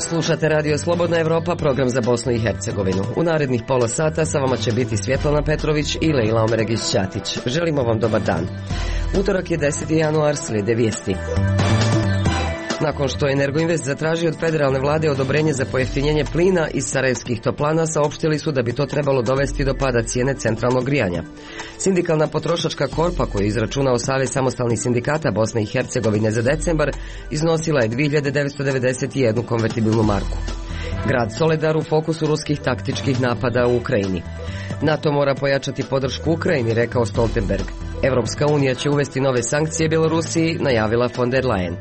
Slušate Radio Slobodna Evropa, program za Bosnu i Hercegovinu. U narednih pola sata sa vama će biti Svjetlana Petrović i Lejla Omeregić-Ćatić. Želimo vam dobar dan. Utorak je 10. januar, slijede vijesti. Nakon što je Energoinvest zatražio od federalne vlade odobrenje za pojeftinjenje plina iz sarajevskih toplana, saopštili su da bi to trebalo dovesti do pada cijene centralnog grijanja. Sindikalna potrošačka korpa, koju je izračunao Savez samostalnih sindikata Bosne i Hercegovine za decembar, iznosila je 2991 konvertibilnu marku. Grad Soledar u fokusu ruskih taktičkih napada u Ukrajini. NATO mora pojačati podršku Ukrajini, rekao Stoltenberg. Evropska unija će uvesti nove sankcije Bjelorusiji, najavila von der Leyen.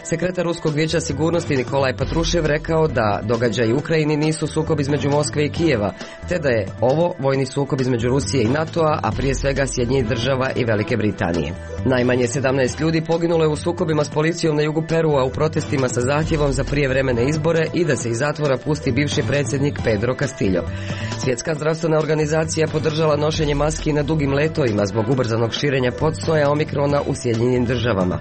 Sekretar Ruskog vijeća sigurnosti Nikolaj Patrušev rekao da događaji u Ukrajini nisu sukob između Moskve i Kijeva, te da je ovo vojni sukob između Rusije i NATO-a, a prije svega Sjedinjenih država i Velike Britanije. Najmanje 17 ljudi poginulo je u sukobima s policijom na jugu Perua u protestima sa zahtjevom za prijevremene izbore i da se iz zatvora pusti bivši predsjednik Pedro Castillo. Svjetska zdravstvena organizacija podržala nošenje maski na dugim letovima zbog ubrzanog širenja podsoja omikrona u Sjedinjenim državama.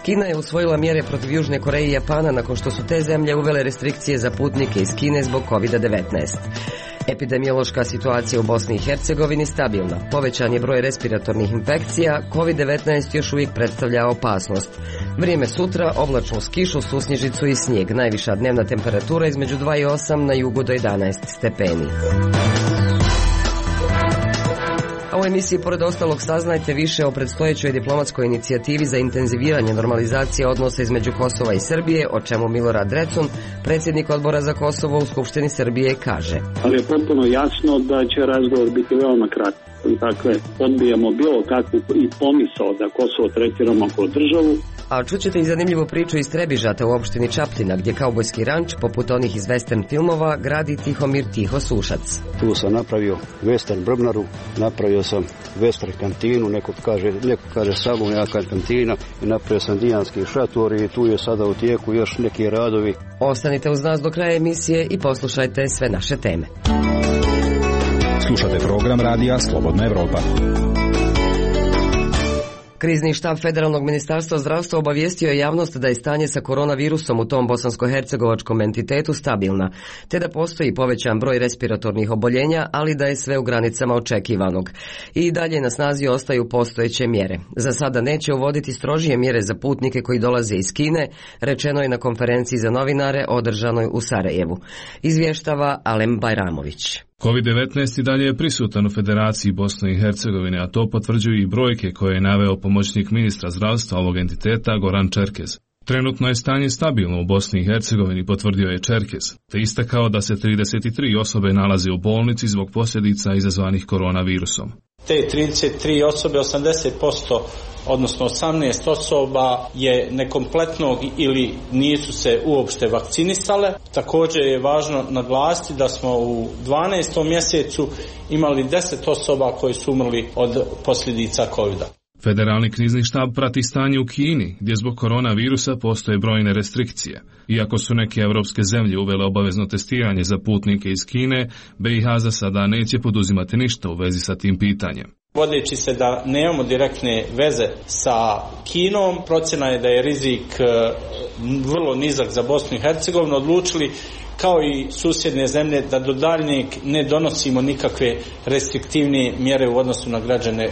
Kina je usvojila mjere protiv Južne Koreje i Japana nakon što su te zemlje uvele restrikcije za putnike iz Kine zbog COVID-19. Epidemiološka situacija u Bosni i Hercegovini stabilna. Povećan je broj respiratornih infekcija, COVID-19 još uvijek predstavlja opasnost. Vrijeme sutra, oblačno s kišu, susnježicu i snijeg. Najviša dnevna temperatura između 2 i 8, na jugu do 11 stepeni. A u emisiji pored ostalog saznajte više o predstojećoj diplomatskoj inicijativi za intenziviranje normalizacije odnosa između Kosova i Srbije, o čemu Milorad Drecun, predsjednik odbora za Kosovo u Skupštini Srbije, kaže. Ali je potpuno jasno da će razgovor biti veoma kratak. Dakle, odbijamo bilo kakvu i pomisao da Kosovo tretiramo kao državu. A čućete i zanimljivu priču iz Trebižata u opštini Čapljina, gdje kaubojski ranč, poput onih iz western filmova, gradi Tihomir Tiho Sušac. Tu sam napravio western brvnaru, napravio sam western kantinu, neko kaže salon, ja kažem kantina, i napravio sam dijanski šator i tu je sada u tijeku još neki radovi. Ostanite uz nas do kraja emisije i poslušajte sve naše teme. Slušate program radija Slobodna Evropa. Krizni štab Federalnog ministarstva zdravstva obavijestio je javnost da je stanje sa koronavirusom u tom bosansko-hercegovačkom entitetu stabilna, te da postoji povećan broj respiratornih oboljenja, ali da je sve u granicama očekivanog. I dalje na snazi ostaju postojeće mjere. Za sada neće uvoditi strožije mjere za putnike koji dolaze iz Kine, rečeno je na konferenciji za novinare održanoj u Sarajevu. Izvještava Alem Bajramović. COVID-19 i dalje je prisutan u Federaciji Bosne i Hercegovine, a to potvrđuju i brojke koje je naveo pomoćnik ministra zdravstva ovog entiteta Goran Čerkez. Trenutno je stanje stabilno u Bosni i Hercegovini, potvrdio je Čerkez, te istakao da se 33 osobe nalaze u bolnici zbog posljedica izazvanih koronavirusom. Te 33 osobe, 80%, odnosno 18 osoba je nekompletnog ili nisu se uopšte vakcinisale. Također je važno naglasiti da smo u 12. mjesecu imali 10 osoba koji su umrli od posljedica COVID-a. Federalni krizni štab prati stanje u Kini, gdje zbog koronavirusa postoje brojne restrikcije. Iako su neke evropske zemlje uvele obavezno testiranje za putnike iz Kine, BiH za sada neće poduzimati ništa u vezi sa tim pitanjem. Vodeći se da nemamo direktne veze sa Kinom, procjena je da je rizik vrlo nizak za Bosnu i Hercegovinu, odlučili kao i susjedne zemlje da do daljnjeg ne donosimo nikakve restriktivne mjere u odnosu na građane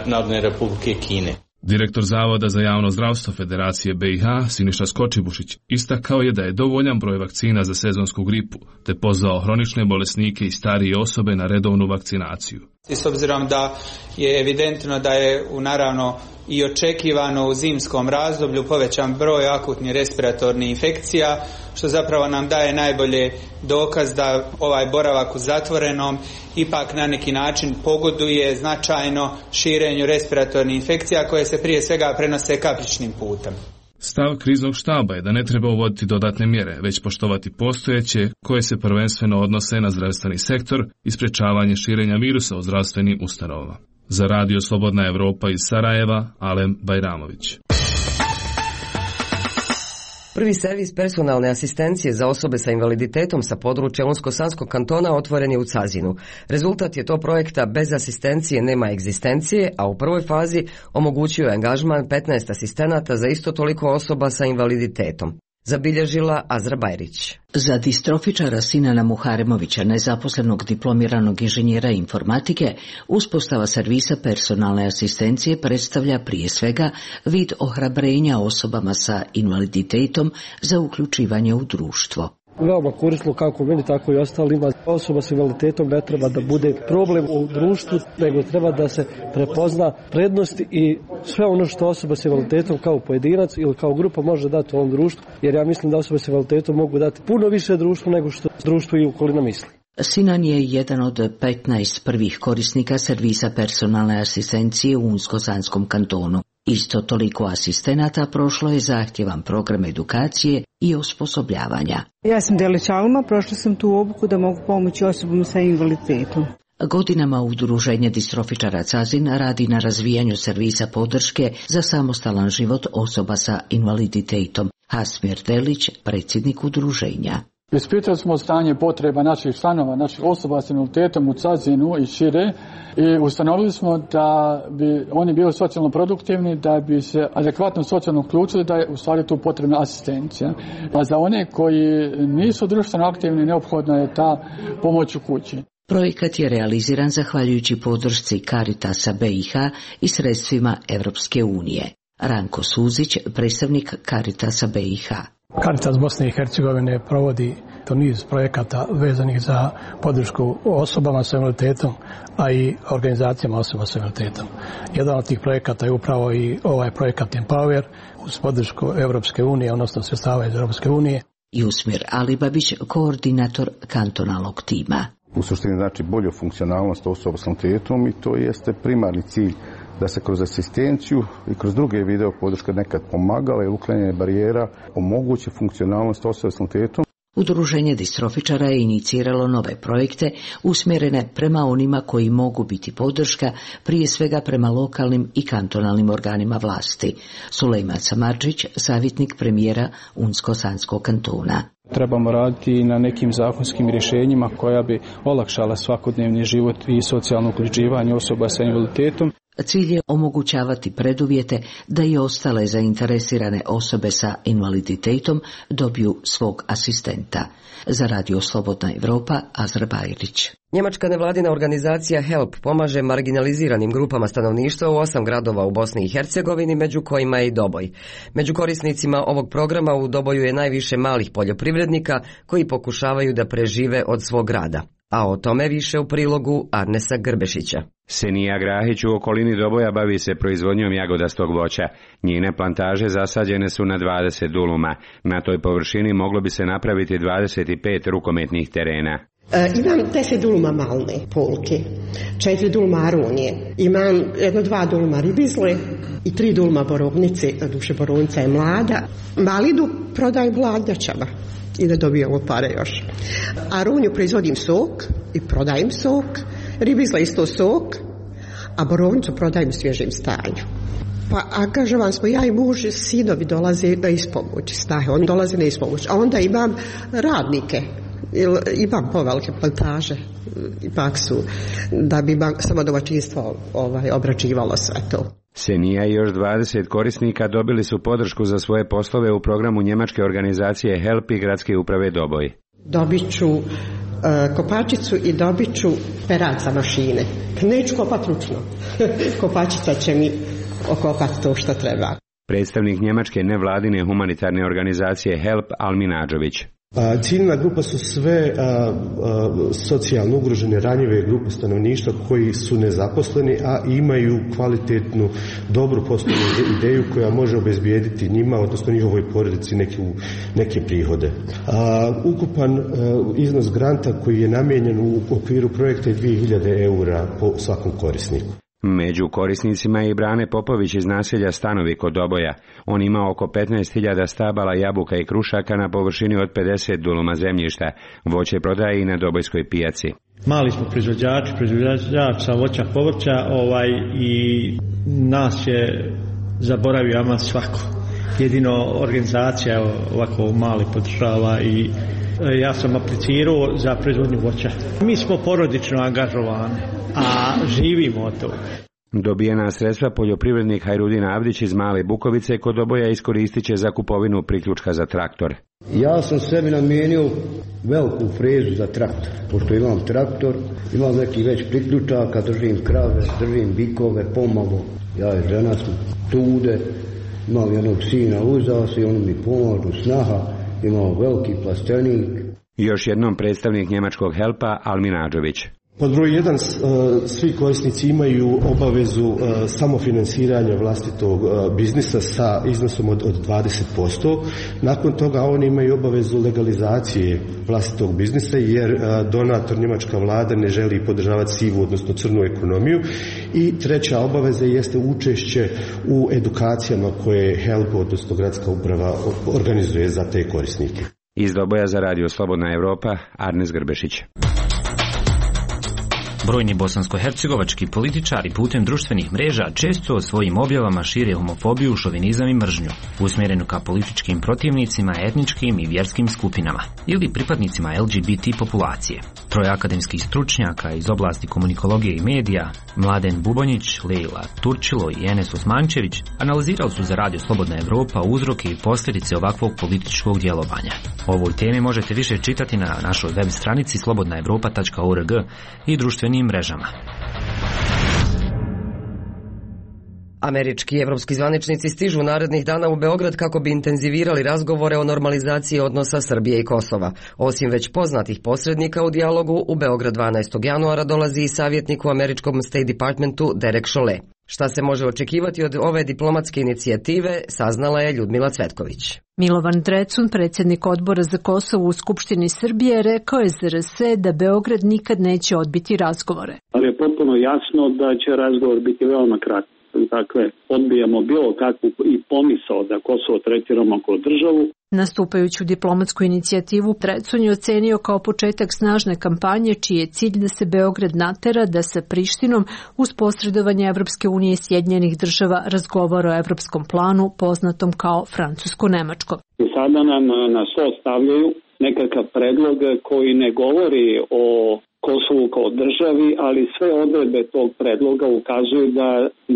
Narodne Republike Kine. Direktor Zavoda za javno zdravstvo Federacije BiH, Siniša Skočibušić, istakao je da je dovoljan broj vakcina za sezonsku gripu, te pozvao hronične bolesnike i starije osobe na redovnu vakcinaciju. I s obzirom da je evidentno da je naravno i očekivano u zimskom razdoblju povećan broj akutnih respiratornih infekcija, što zapravo nam daje najbolje dokaz da ovaj boravak u zatvorenom ipak na neki način pogoduje značajno širenju respiratornih infekcija koje se prije svega prenose kapljičnim putem. Stav kriznog štaba je da ne treba uvoditi dodatne mjere, već poštovati postojeće koje se prvenstveno odnose na zdravstveni sektor i sprečavanje širenja virusa u zdravstvenim ustanovama. Za Radio Slobodna Evropa iz Sarajeva, Alem Bajramović. Prvi servis personalne asistencije za osobe sa invaliditetom sa područja Unsko-Sanskog kantona otvoren je u Cazinu. Rezultat je to projekta Bez asistencije nema egzistencije, a u prvoj fazi omogućio je angažman 15 asistenata za isto toliko osoba sa invaliditetom. Zabilježila Azra Bajrić. Za distrofičara Sinana Muharemovića, nezaposlenog diplomiranog inženjera informatike, uspostava servisa personalne asistencije predstavlja prije svega vid ohrabrenja osobama sa invaliditetom za uključivanje u društvo. Veoma korisno kako meni, tako i ostalima. Osoba s invaliditetom ne treba da bude problem u društvu, nego treba da se prepozna prednosti i sve ono što osoba s invaliditetom kao pojedinac ili kao grupa može dati u ovom društvu, jer ja mislim da osobe s invaliditetom mogu dati puno više društvu nego što društvo i okolina misli. Sinan je jedan od 15 prvih korisnika servisa personalne asistencije u Unsko-Sanskom kantonu. Isto toliko asistenata prošlo je zahtjevan program edukacije i osposobljavanja. Ja sam Delić Alma, prošla sam tu obuku da mogu pomoći osobama sa invaliditetom. Godinama Udruženje distrofičara Cazin radi na razvijanju servisa podrške za samostalan život osoba sa invaliditetom. Hasmir Delić, predsjednik udruženja. Ispitali smo stanje potreba naših članova, naših osoba s invaliditetom u Cazinu i šire i ustanovili smo da bi oni bili socijalno produktivni, da bi se adekvatno socijalno uključili, da je u stvari tu potrebna asistencija. A za one koji nisu društveno aktivni neophodna je ta pomoć u kući. Projekat je realiziran zahvaljujući podršci Caritasa BiH i sredstvima Europske unije. Ranko Suzić, predstavnik Caritasa BiH. Caritas Bosne i Hercegovine provodi niz projekata vezanih za podršku osobama s invaliditetom, a i organizacijama osoba s invaliditetom. Jedan od tih projekata je upravo i ovaj projekat Empower uz podršku Europske unije, odnosno sredstava iz Europske unije. Jusmir Alibabić, koordinator kantonalnog tima. U suštini znači bolju funkcionalnost osoba s invaliditetom i to jeste primarni cilj da se kroz asistenciju i kroz druge video podrške nekad pomagala i uklanjanje barijera omogući funkcionalnost osoba s invaliditetom. Udruženje distrofičara je iniciralo nove projekte usmjerene prema onima koji mogu biti podrška, prije svega prema lokalnim i kantonalnim organima vlasti. Sulejman Samardžić, savjetnik premijera Unsko-Sanskog kantona. Trebamo raditi na nekim zakonskim rješenjima koja bi olakšala svakodnevni život i socijalno uključivanje osoba sa invaliditetom. Cilj je omogućavati preduvjete da i ostale zainteresirane osobe sa invaliditetom dobiju svog asistenta. Za Radio Slobodna Evropa, Azra Bajrić. Njemačka nevladina organizacija HELP pomaže marginaliziranim grupama stanovništva u 8 gradova u Bosni i Hercegovini, među kojima je i Doboj. Među korisnicima ovog programa u Doboju je najviše malih poljoprivrednika koji pokušavaju da prežive od svog rada. A o tome više u prilogu Arnesa Grbešića. Senija Grahić u okolini Doboja bavi se proizvodnjom jagodastog voća. Njene plantaže zasađene su na 20 duluma. Na toj površini moglo bi se napraviti 25 rukometnih terena. Imam 10 duluma malne polke, 4 duluma arunije, imam 1-2 duluma ribizle i 3 duluma borovnice, na duše borovnica je mlada. Malidu prodajem hladnjačama i da dobijemo pare još. Aruniju proizvodim sok i prodajem sok, ribizla isto sok, a borovnicu prodajem u svježem stanju. Pa angažovan smo ja i muž, sinovi dolaze na ispomoć, snahe, oni dolaze na ispomoć, a onda imam radnike. Imam povelike plantaže, ipak su, da bi samo domaćinstvo obrađivalo sve to. Senija i još 20 korisnika dobili su podršku za svoje poslove u programu njemačke organizacije HELP i gradske uprave Doboj. Dobit ću kopačicu i dobit ću perac za mašine. Neću kopati ručno. Kopačica će mi okopati to što treba. Predstavnik njemačke nevladine humanitarne organizacije HELP Almin Adžović. Ciljna grupa su sve socijalno ugrožene, ranjive grupe stanovništva koji su nezaposleni, a imaju kvalitetnu, dobru poslovnu ideju koja može obezbijediti njima, odnosno njihovoj porodici neke prihode. Ukupan iznos granta koji je namijenjen u okviru projekta je 2000 eura po svakom korisniku. Među korisnicima je i Brane Popović iz naselja Stanovi kod Doboja. On ima oko 15.000 stabala jabuka i krušaka na površini od 50 duluma zemljišta. Voće prodaje i na Dobojskoj pijaci. Mali smo proizvođači sa voća, povrća i nas je zaboravio ama svako. jedino organizacija ovako mali podržava i ja sam aplicirao za proizvodnju voća. Mi smo porodično angažovani, a živimo od toga. Dobijena sredstva poljoprivrednik Hajrudin Avdić iz Male Bukovice kod Doboja iskoristit će za kupovinu priključka za traktor. Ja sam sebi namijenio veliku frezu za traktor, pošto imam traktor, imam neki već priključaka, držim krave, držim bikove, pomalo, ja i žena smo tude, imam jednog sina uzao se i on mi pomažu, snaha, imam veliki plastenik. Još jednom predstavnik njemačkog Helpa Almin Adžović. Pod broj 1, svi korisnici imaju obavezu samofinansiranja vlastitog biznisa sa iznosom od 20%. Nakon toga oni imaju obavezu legalizacije vlastitog biznisa jer donator njemačka vlada ne želi podržavati sivu, odnosno crnu ekonomiju. I treća obaveza jeste učešće u edukacijama koje HELP, odnosno gradska uprava, organizuje za te korisnike. Iz Doboja za Radio Slobodna Evropa, Arnes Grbešić. Brojni bosansko-hercegovački političari putem društvenih mreža često svojim objavama šire homofobiju, šovinizam i mržnju, usmjerenu ka političkim protivnicima, etničkim i vjerskim skupinama ili pripadnicima LGBT populacije. Troje akademskih stručnjaka iz oblasti komunikologije i medija, Mladen Bubonjić, Lejla Turčilo i Enes Osmančević, analizirali su za Radio Slobodna Evropa uzroke i posljedice ovakvog političkog djelovanja. O ovoj temi možete više čitati na našoj web stranici slobodnaevropa.org i društvenim mrežama. Američki i evropski zvaničnici stižu narednih dana u Beograd kako bi intenzivirali razgovore o normalizaciji odnosa Srbije i Kosova. Osim već poznatih posrednika u dijalogu, u Beograd 12. januara dolazi i savjetnik u američkom State Departmentu Derek Chollet. Šta se može očekivati od ove diplomatske inicijative, saznala je Ljudmila Cvetković. Milovan Drecun, predsjednik odbora za Kosovo u Skupštini Srbije, rekao je za RS da Beograd nikad neće odbiti razgovore. Ali je potpuno jasno da će razgovor biti veoma kratak. Dakle, odbijamo bilo kakvu i pomisao da Kosovo tretiramo kao državu. Nastupajuću diplomatsku inicijativu Drecun je ocenio kao početak snažne kampanje čiji je cilj da se Beograd natera da sa Prištinom uz posredovanje Evropske unije i Sjedinjenih država razgovara o evropskom planu poznatom kao francusko-nemačko. Sada nam na stol stavljaju nekakav predlog koji ne govori o Kosovu kao državi, ali sve odredbe tog predloga ukazuju da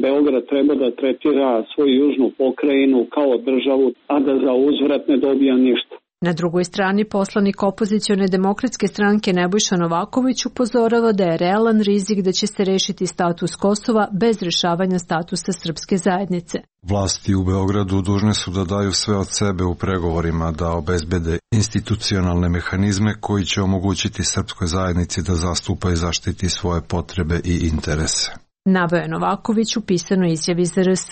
Beograd treba da tretira svoju južnu pokrajinu kao državu, a da za uzvrat ne dobija ništa. Na drugoj strani poslanik opozicione demokratske stranke Nebojša Novaković upozorava da je realan rizik da će se rešiti status Kosova bez rešavanja statusa srpske zajednice. Vlasti u Beogradu dužne su da daju sve od sebe u pregovorima da obezbede institucionalne mehanizme koji će omogućiti srpskoj zajednici da zastupa i zaštiti svoje potrebe i interese. Naveo je Novaković u pisanoj izjavi za RS.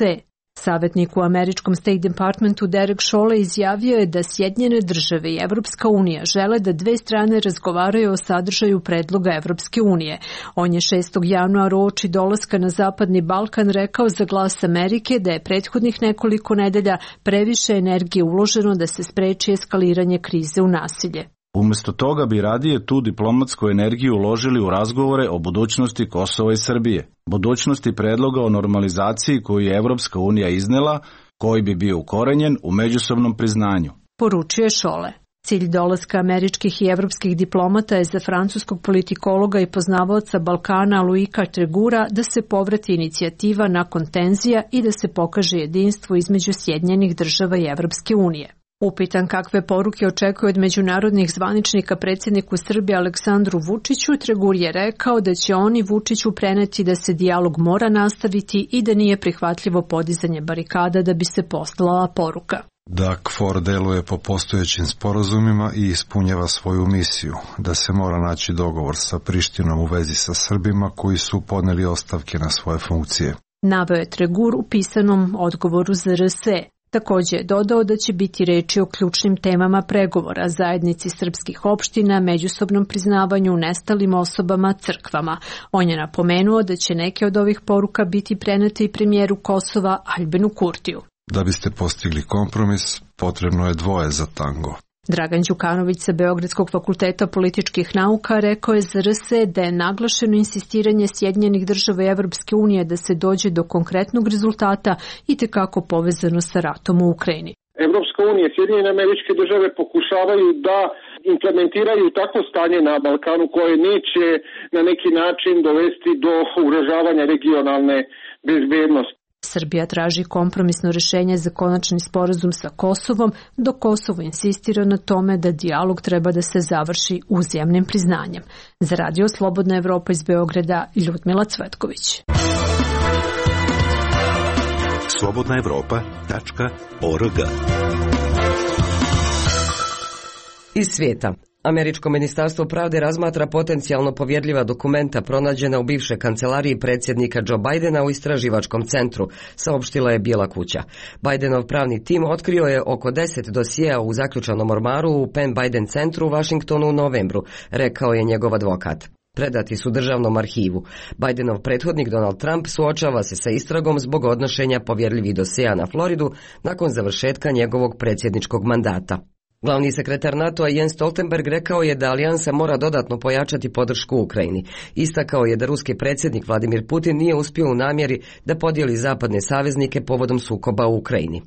Savjetnik u američkom State Departmentu Derek Chollet izjavio je da Sjedinjene države i Evropska unija žele da dve strane razgovaraju o sadržaju predloga Evropske unije. On je 6. januara uoči dolaska na Zapadni Balkan rekao za Glas Amerike da je prethodnih nekoliko nedelja previše energije uloženo da se spreči eskaliranje krize u nasilje. Umjesto toga bi radije tu diplomatsku energiju uložili u razgovore o budućnosti Kosova i Srbije, budućnosti predloga o normalizaciji koju je Evropska unija iznela, koji bi bio ukorenjen u međusobnom priznanju. Poručio je Chollet. Cilj dolaska američkih i evropskih diplomata je za francuskog politikologa i poznavaoca Balkana Louisa Tregura da se povrati inicijativa nakon tenzija i da se pokaže jedinstvo između Sjedinjenih država i Evropske unije. Upitan kakve poruke očekuje od međunarodnih zvaničnika predsjedniku Srbije Aleksandru Vučiću, Tregur je rekao da će oni Vučiću preneti da se dijalog mora nastaviti i da nije prihvatljivo podizanje barikada da bi se poslala poruka. Da KFOR deluje po postojećim sporazumima i ispunjava svoju misiju, da se mora naći dogovor sa Prištinom u vezi sa Srbima koji su podneli ostavke na svoje funkcije. Naveo je Tregur u pisanom odgovoru za RS. Također je dodao da će biti reči o ključnim temama pregovora, zajednici srpskih opština, međusobnom priznavanju, nestalim osobama, crkvama. On je napomenuo da će neke od ovih poruka biti prenete i premijeru Kosova Aljbinu Kurtiju. Da biste postigli kompromis, potrebno je dvoje za tango. Dragan Đukanović sa Beogradskog fakulteta političkih nauka rekao je za RSE da je naglašeno insistiranje Sjedinjenih država i Evropske unije da se dođe do konkretnog rezultata i tekako povezano sa ratom u Ukrajini. Evropska unija i Sjedinjene Američke Države pokušavaju da implementiraju takvo stanje na Balkanu koje neće na neki način dovesti do ugrožavanja regionalne bezbednosti. Srbija traži kompromisno rješenje za konačni sporazum sa Kosovom, dok Kosovo insistira na tome da dijalog treba da se završi uzajamnim priznanjem. Za Radio Slobodna Evropa iz Beograda, Ljudmila Cvetković. slobodnaevropa.org. Iz svijeta. Američko ministarstvo pravde razmatra potencijalno povjerljiva dokumenta pronađena u bivšoj kancelariji predsjednika Joe Bidena u istraživačkom centru, saopštila je Bijela kuća. Bidenov pravni tim otkrio je oko 10 dosjea u zaključanom ormaru u Penn Biden centru u Washingtonu u novembru, rekao je njegov advokat. Predati su državnom arhivu. Bidenov prethodnik Donald Trump suočava se sa istragom zbog odnošenja povjerljivih dosjea na Floridu nakon završetka njegovog predsjedničkog mandata. Glavni sekretar NATO-a Jens Stoltenberg rekao je da alijansa mora dodatno pojačati podršku Ukrajini. Istakao je da ruski predsjednik Vladimir Putin nije uspio u namjeri da podijeli zapadne saveznike povodom sukoba u Ukrajini.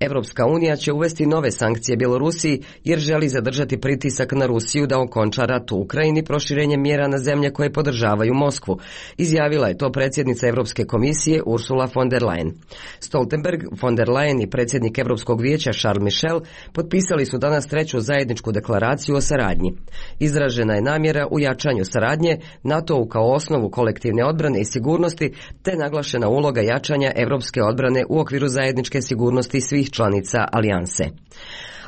Evropska unija će uvesti nove sankcije Bjelorusiji jer želi zadržati pritisak na Rusiju da okonča rat u Ukrajini proširenjem mjera na zemlje koje podržavaju Moskvu. Izjavila je to predsjednica Europske komisije Ursula von der Leyen. Stoltenberg, von der Leyen i predsjednik Europskog vijeća Charles Michel potpisali su danas treću zajedničku deklaraciju o saradnji. Izražena je namjera u jačanju saradnje, NATO-u kao osnovu kolektivne odbrane i sigurnosti, te naglašena uloga jačanja europske odbrane u okviru zajedničke sigurnosti svih članica alijanse.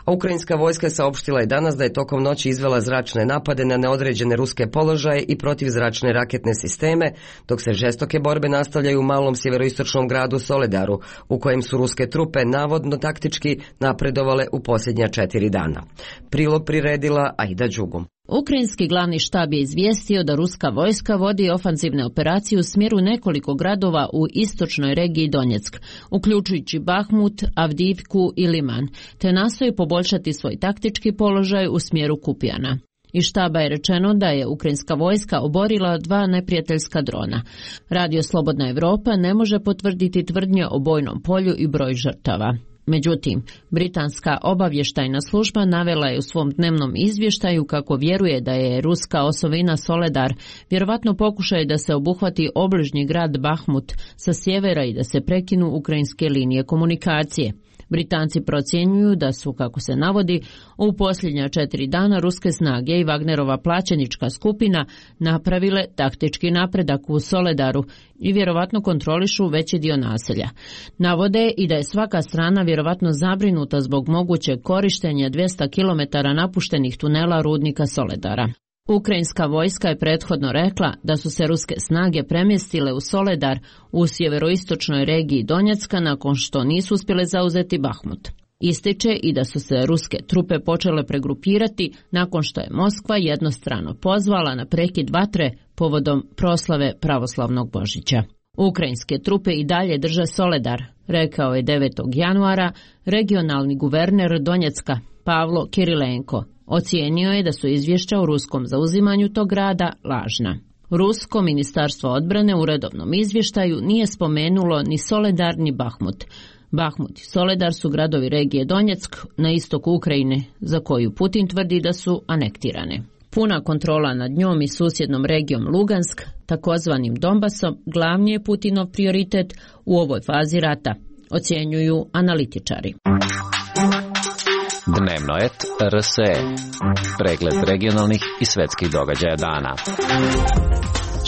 A ukrajinska vojska saopštila je danas da je tokom noći izvela zračne napade na neodređene ruske položaje i protivzračne raketne sisteme, dok se žestoke borbe nastavljaju u malom sjeveroistočnom gradu Soledaru, u kojem su ruske trupe navodno taktički napredovale u posljednja 4 dana. Prilog priredila Aida Đugum. Ukrajinski glavni štab je izvijestio da ruska vojska vodi ofanzivne operacije u smjeru nekoliko gradova u istočnoj regiji Donjeck, uključujući Bahmut, Avdivku i Liman, te nastoji poboljšati svoj taktički položaj u smjeru Kupjana. Iz štaba je rečeno da je ukrajinska vojska oborila 2 neprijateljska drona. Radio Slobodna Evropa ne može potvrditi tvrdnje o bojnom polju i broj žrtava. Međutim, britanska obavještajna služba navela je u svom dnevnom izvještaju kako vjeruje da je ruska osovina Soledar vjerovatno pokušaj da se obuhvati obližnji grad Bahmut sa sjevera i da se prekinu ukrajinske linije komunikacije. Britanci procjenjuju da su, kako se navodi, u posljednja 4 dana ruske snage i Wagnerova plaćenička skupina napravile taktički napredak u Soledaru i vjerovatno kontrolišu veći dio naselja. Navode i da je svaka strana vjerovatno zabrinuta zbog mogućeg korištenja 200 km napuštenih tunela rudnika Soledara. Ukrajinska vojska je prethodno rekla da su se ruske snage premjestile u Soledar u sjeveroistočnoj regiji Donjecka nakon što nisu uspjele zauzeti Bahmut. Ističe i da su se ruske trupe počele pregrupirati nakon što je Moskva jednostrano pozvala na prekid vatre povodom proslave pravoslavnog Božića. Ukrajinske trupe i dalje drže Soledar, rekao je 9. januara regionalni guverner Donjecka Pavlo Kirilenko. Ocijenio je da su izvješća o ruskom zauzimanju tog grada lažna. Rusko ministarstvo odbrane u redovnom izvještaju nije spomenulo ni Soledar ni Bahmut. Bahmut i Soledar su gradovi regije Donjeck na istoku Ukrajine, za koju Putin tvrdi da su anektirane. Puna kontrola nad njom i susjednom regijom Lugansk, takozvanim Donbasom, glavni je Putinov prioritet u ovoj fazi rata, ocjenjuju analitičari. Dnevno et RSE. Pregled regionalnih i svjetskih događaja dana.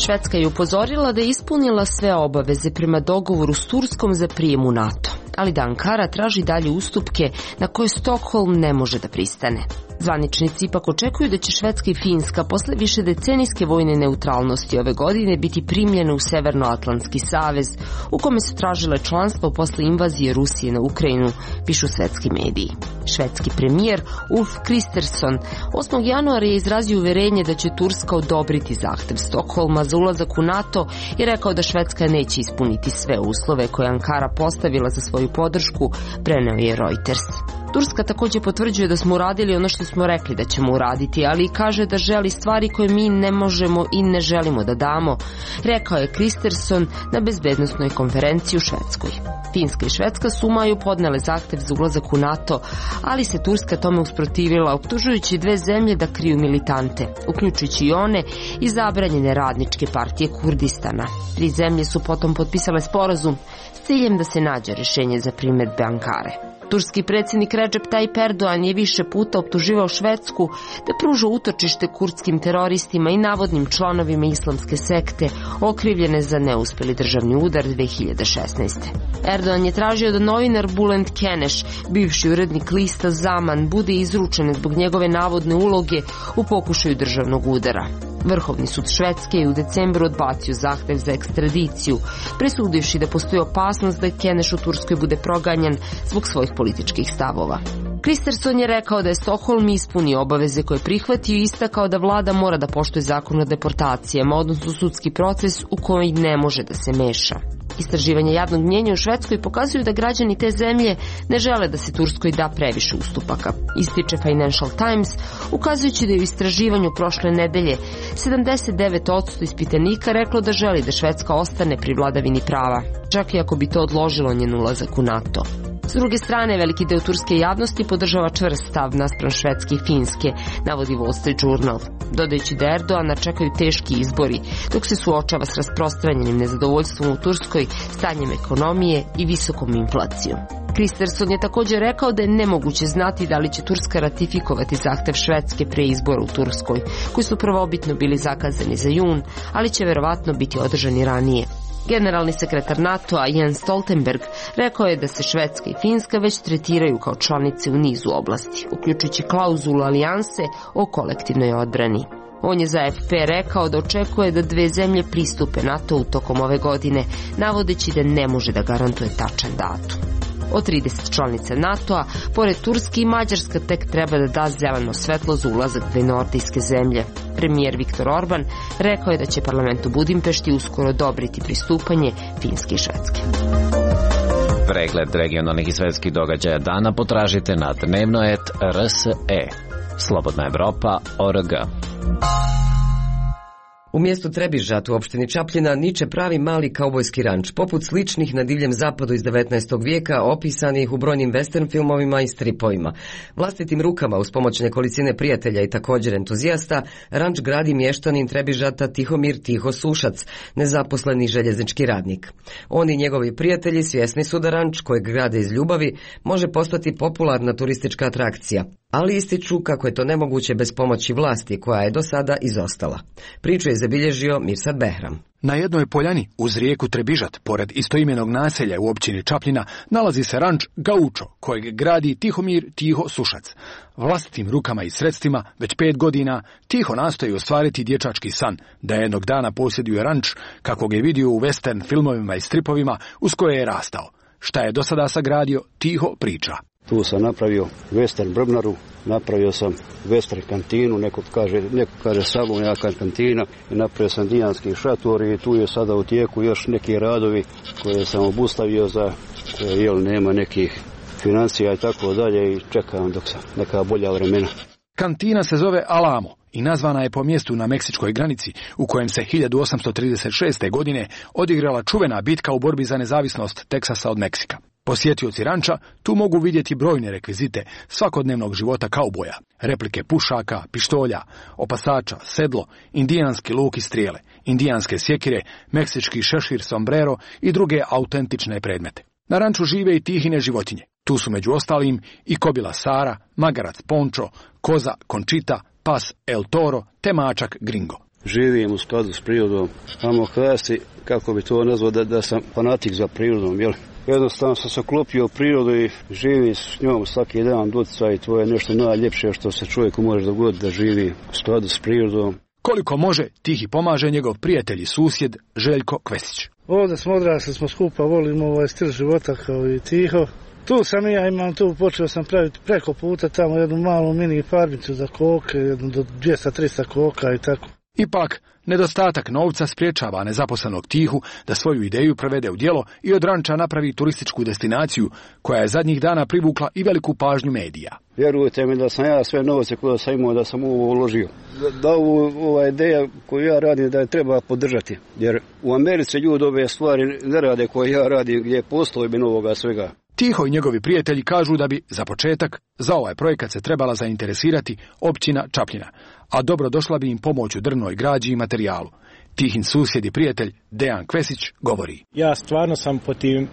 Švedska je upozorila da je ispunila sve obaveze prema dogovoru s Turskom za prijem u NATO, ali da Ankara traži dalje ustupke na koje Stokholm ne može da pristane. Zvaničnici ipak očekuju da će Švedska i Finska posle više decenijske vojne neutralnosti ove godine biti primljene u Severnoatlantski savez, u kome su tražile članstvo posle invazije Rusije na Ukrajinu, pišu svetski mediji. Švedski premijer Ulf Kristersson 8. januara je izrazio uverenje da će Turska odobriti zahtev Stokholma za ulazak u NATO i rekao da Švedska neće ispuniti sve uslove koje Ankara postavila za svoju podršku, preneo je Reuters. Turska također potvrđuje da smo uradili ono što smo rekli da ćemo uraditi, ali kaže da želi stvari koje mi ne možemo i ne želimo da damo, rekao je Kristersson na bezbednosnoj konferenciji u Švedskoj. Finska i Švedska su u maju podnele zahtev za ulazak u NATO, ali se Turska tome usprotivila, optužujući dve zemlje da kriju militante, uključujući i one iz zabranjene radničke partije Kurdistana. Tri zemlje su potom potpisale sporazum s ciljem da se nađe rješenje za primjedbe Ankare. Turski predsjednik Recep Tayyip Erdogan je više puta optuživao Švedsku da pruža utočište kurdskim teroristima i navodnim članovima islamske sekte okrivljene za neuspjeli državni udar 2016. Erdogan je tražio da novinar Bülent Kenesh, bivši urednik lista Zaman, bude izručen zbog njegove navodne uloge u pokušaju državnog udara. Vrhovni sud Švedske je u decembru odbacio zahtev za ekstradiciju, presudivši da postoji opasnost da Kenesh u Turskoj bude proganjan zbog svojih političkih stavova. Kristersson je rekao da je Stockholm ispunio obaveze koje prihvatio i istakao da vlada mora da poštuje zakon o deportacijama, odnosno sudski proces u koji ne može da se meša. Istraživanja javnog mnjenja u Švedskoj pokazuju da građani te zemlje ne žele da se Turskoj da previše ustupaka. Ističe Financial Times, ukazujući da je u istraživanju prošle nedelje 79% ispitanika reklo da želi da Švedska ostane pri vladavini prava, čak i ako bi to odložilo njen ulazak u NATO. S druge strane, veliki deo turske javnosti podržava čvrst stav naspram Švedske i Finske, navodi Wall Street Journal, dodajući da Erdogana čekaju teški izbori, dok se suočava s rasprostranjenim nezadovoljstvom u Turskoj, stanjem ekonomije i visokom inflacijom. Kristersson je također rekao da je nemoguće znati da li će Turska ratifikovati zahtev Švedske pre izbora u Turskoj, koji su prvobitno bili zakazani za jun, ali će verovatno biti održani ranije. Generalni sekretar NATO-a Jens Stoltenberg rekao je da se Švedska i Finska već tretiraju kao članice u nizu oblasti, uključujući klauzulu alijanse o kolektivnoj odbrani. On je za AFP rekao da očekuje da dve zemlje pristupe NATO-u tokom ove godine, navodeći da ne može da garantuje tačan datum. Od 30 članica NATO-a, pored Turske i Mađarska tek treba da da zeleno svetlo za ulazak dve nordijske zemlje. Premijer Viktor Orban rekao je da će parlament u Budimpešti uskoro odobriti pristupanje Finske i Švedske. Pregled regionalnih i svetskih događaja dana potražite na dnevnoet.rse. Slobodna Evropa.org. U mjestu Trebižat u opštini Čapljina niče pravi mali kaubojski ranč, poput sličnih na Divljem zapadu iz 19. vijeka, opisanih u brojnim western filmovima i stripovima. Vlastitim rukama, uz pomoć nekolicine prijatelja i također entuzijasta, ranč gradi mještanin Trebižata Tihomir Tiho Sušac, nezaposleni željeznički radnik. On i njegovi prijatelji svjesni su da ranč, kojeg grade iz ljubavi, može postati popularna turistička atrakcija, ali ističu kako je to nemoguće bez pomoći vlasti koja je do sada izostala. Priču je zabilježio Mirsad Behram. Na jednoj poljani uz rijeku Trebižat, pored istoimenog naselja u općini Čapljina, nalazi se ranč Gaučo, kojeg gradi Tihomir Tiho Sušac. Vlastitim rukama i sredstvima, već 5 godina, Tiho nastoji ostvariti dječački san, da jednog dana posjeduje ranč, kako ga je vidio u western filmovima i stripovima uz koje je rastao. Šta je do sada sagradio, Tiho priča. Tu sam napravio western brvnaru, napravio sam western kantinu, neko kaže salon, ja kantina, i napravio sam indijanski šator i tu je sada u tijeku još neki radovi koje sam obustavio za koje nema nekih financija i tako dalje i čekam dok sam neka bolja vremena. Kantina se zove Alamo i nazvana je po mjestu na meksičkoj granici u kojem se 1836. godine odigrala čuvena bitka u borbi za nezavisnost Teksasa od Meksika. Posjetioci ranča tu mogu vidjeti brojne rekvizite svakodnevnog života kauboja, replike pušaka, pištolja, opasača, sedlo, indijanski luk i strijele, indijanske sjekire, meksički šešir, sombrero i druge autentične predmete. Na ranču žive i tihine životinje. Tu su među ostalim i kobila Sara, magarac Pončo, koza Končita, pas El Toro te mačak Gringo. Živim u skladu s prirodom. Amo kasi, kako bi to nazvao, da sam fanatik za prirodom, jel? Jednostavno sam se oklopio u prirodu i živim s njom svaki dan doticaj i to je nešto najljepše što se čovjeku može dogoditi da živi u skladu s prirodom. Koliko može, Tihi pomaže njegov prijatelj i susjed Željko Kvesić. Ovdje smo odrasli, smo skupa, volimo ovaj stil života kao i Tiho. Tu sam i ja imam tu, počeo sam praviti preko puta tamo jednu malu mini farmicu za koke, jednu do 200-300 koka i tako. Ipak, nedostatak novca spriječava nezaposlenog Tihu da svoju ideju prevede u djelo i od ranča napravi turističku destinaciju koja je zadnjih dana privukla i veliku pažnju medija. Vjerujte mi da sam ja sve novce koje sam imao da sam ovo uložio. Da ova ideja koju ja radim da je treba podržati. Jer u Americi ljudi ove stvari ne rade koje ja radim gdje je postojbin ovoga svega. Tiho i njegovi prijatelji kažu da bi, za početak, za ovaj projekat se trebala zainteresirati općina Čapljina, a dobro došla bi im pomoć u drvnoj građi i materijalu. Tihin susjed i prijatelj Dejan Kvesić govori. Ja stvarno sam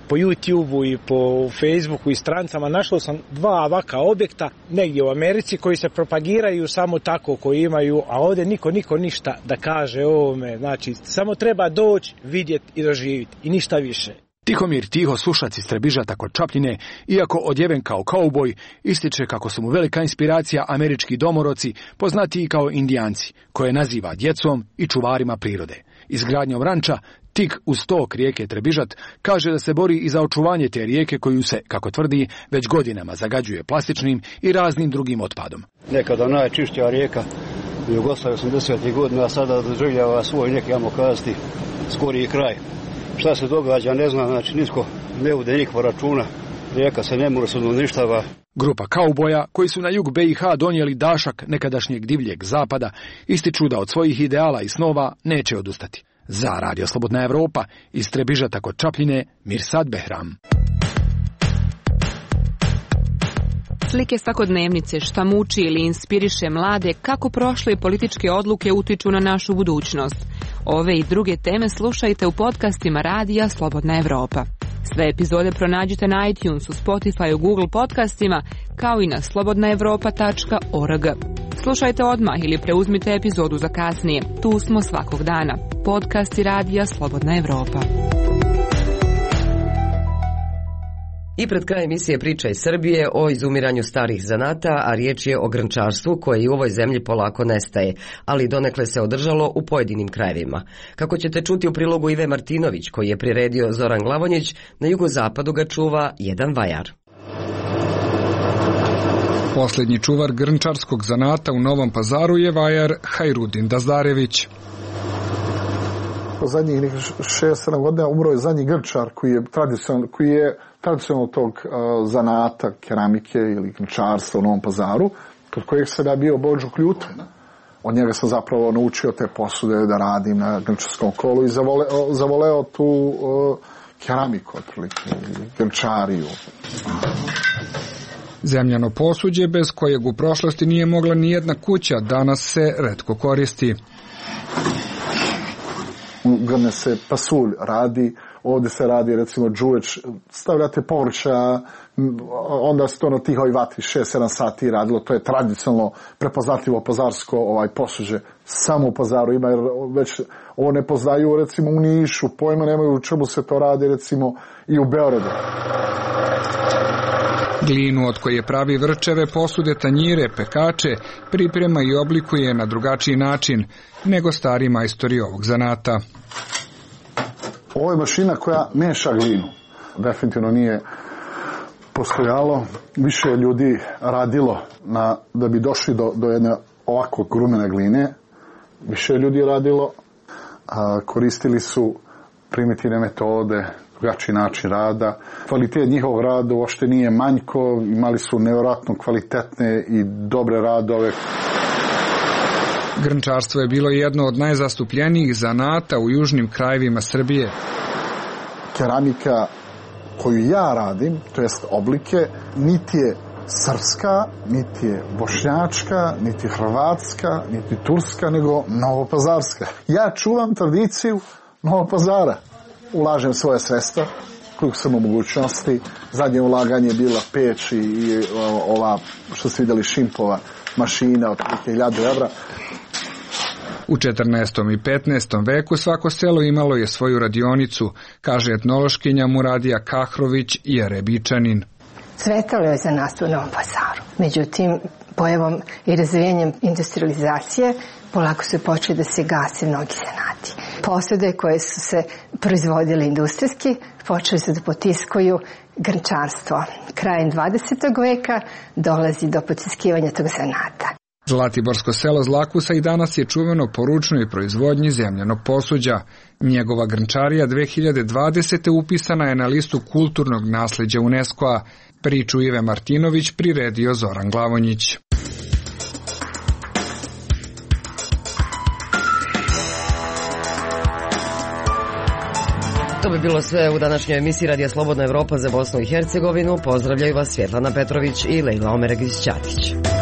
po YouTubeu i po Facebooku i strancama našao sam 2 ovaka objekta negdje u Americi koji se propagiraju samo tako koji imaju, a ovdje niko ništa da kaže o ovome. Znači, samo treba doći, vidjeti i doživjeti i ništa više. Tihomir Tiho, slušac iz Trebižata kod Čapljine, iako odjeven kao kauboj, ističe kako su mu velika inspiracija američki domoroci, poznatiji kao Indijanci, koje naziva djecom i čuvarima prirode. Izgradnjom ranča, tik uz tok rijeke Trebižat, kaže da se bori i za očuvanje te rijeke koju se, kako tvrdi, već godinama zagađuje plastičnim i raznim drugim otpadom. Nekada najčišća rijeka u Jugoslaviji 80. godina, a sada doživljava svoj neki, ajmo kazati, skoriji kraj. Šta se događa, ne znam, znači nisko ne ude nikva računa, rijeka se ne može uništava. Grupa kauboja, koji su na jug BiH donijeli dašak nekadašnjeg divljeg zapada, ističu da od svojih ideala i snova neće odustati. Za Radio Slobodna Evropa, iz Trebižata kod Čapljine, Mirsad Behram. Slike svakodnevnice, šta muči ili inspiriše mlade, kako prošle političke odluke utiču na našu budućnost. Ove i druge teme slušajte u podcastima Radija Slobodna Evropa. Sve epizode pronađite na iTunesu, Spotify, Google podcastima, kao i na slobodnaevropa.org. Slušajte odmah ili preuzmite epizodu za kasnije. Tu smo svakog dana. Podcasti Radija Slobodna Evropa. I pred krajem emisije priča iz Srbije o izumiranju starih zanata, a riječ je o grnčarstvu koje i u ovoj zemlji polako nestaje, ali donekle se održalo u pojedinim krajevima. Kako ćete čuti u prilogu Ive Martinović, koji je priredio Zoran Glavonjić, na jugozapadu ga čuva jedan vajar. Posljednji čuvar grnčarskog zanata u Novom Pazaru je vajar Hajrudin Dazdarević. Zadnjih 6-7 godina umro je zadnji grnčar koji je tradicionalno tog zanata, keramike ili grnčarstva u Novom Pazaru, kod kojeg sam ja bio Bođo Kljuta. Od njega sam zapravo naučio te posude da radim na grnčarskom kolu i zavoleo tu keramiku, otprilike, grnčariju. Zemljano posuđe, bez kojeg u prošlosti nije mogla ni jedna kuća, danas se retko koristi. Grne se pasulj radi, ovdje se radi recimo džuveč, stavljate povrća, onda se to na tihoj vatri 6-7 sati radilo, to je tradicionalno prepoznatljivo pazarsko posuđe, samo u Pazaru ima, jer već ovo ne poznaju recimo u Nišu, pojma nemaju u čemu se to radi recimo i u Beogradu. Glinu od koje pravi vrčeve, posude, tanjire, pekače, priprema i oblikuje na drugačiji način nego stari majstori ovog zanata. Ovo je mašina koja meša glinu. Definitivno nije postojalo. Više ljudi radilo da bi došli do jedne ovako grumene gline. Više ljudi radilo. Koristili su primitivne metode, drugačiji način rada. Kvalitet njihovog rada uopšte nije manjko, imali su nevjerojatno kvalitetne i dobre radove. Grnčarstvo je bilo jedno od najzastupljenijih zanata u južnim krajevima Srbije. Keramika koju ja radim, to jest oblike, niti je srpska, niti je bošnjačka, niti hrvatska, niti turska, nego novopazarska. Ja čuvam tradiciju Novog Pazara. Ulažem svoje sredstva, koliko sam u mogućnosti. Zadnje ulaganje je bila peć i ova, što ste vidjeli, Šimpova mašina od 1000 evra. U 14. i 15. veku svako selo imalo je svoju radionicu, kaže etnološkinja Muradija Kahrović i Jerebičanin. Cvetalo je za nas u Novom Pazaru. Međutim, pojavom i razvijanjem industrializacije polako su počeli da se gase mnogi zanati. Posude koje su se proizvodile industrijski počeli su da potiskuju grnčarstvo. Krajem 20. veka dolazi do potiskivanja tog zanata. Zlatiborsko selo Zlakusa i danas je čuveno po ručnoj proizvodnji zemljanog posuđa. Njegova grnčarija 2020. upisana je na listu kulturnog nasleđa UNESCO-a. Priču Ive Martinović priredio Zoran Glavonjić. To bi bilo sve u današnjoj emisiji Radija Slobodna Evropa za Bosnu i Hercegovinu. Pozdravljaju vas Svjetlana Petrović i Lejla Omeregić-Ćatić.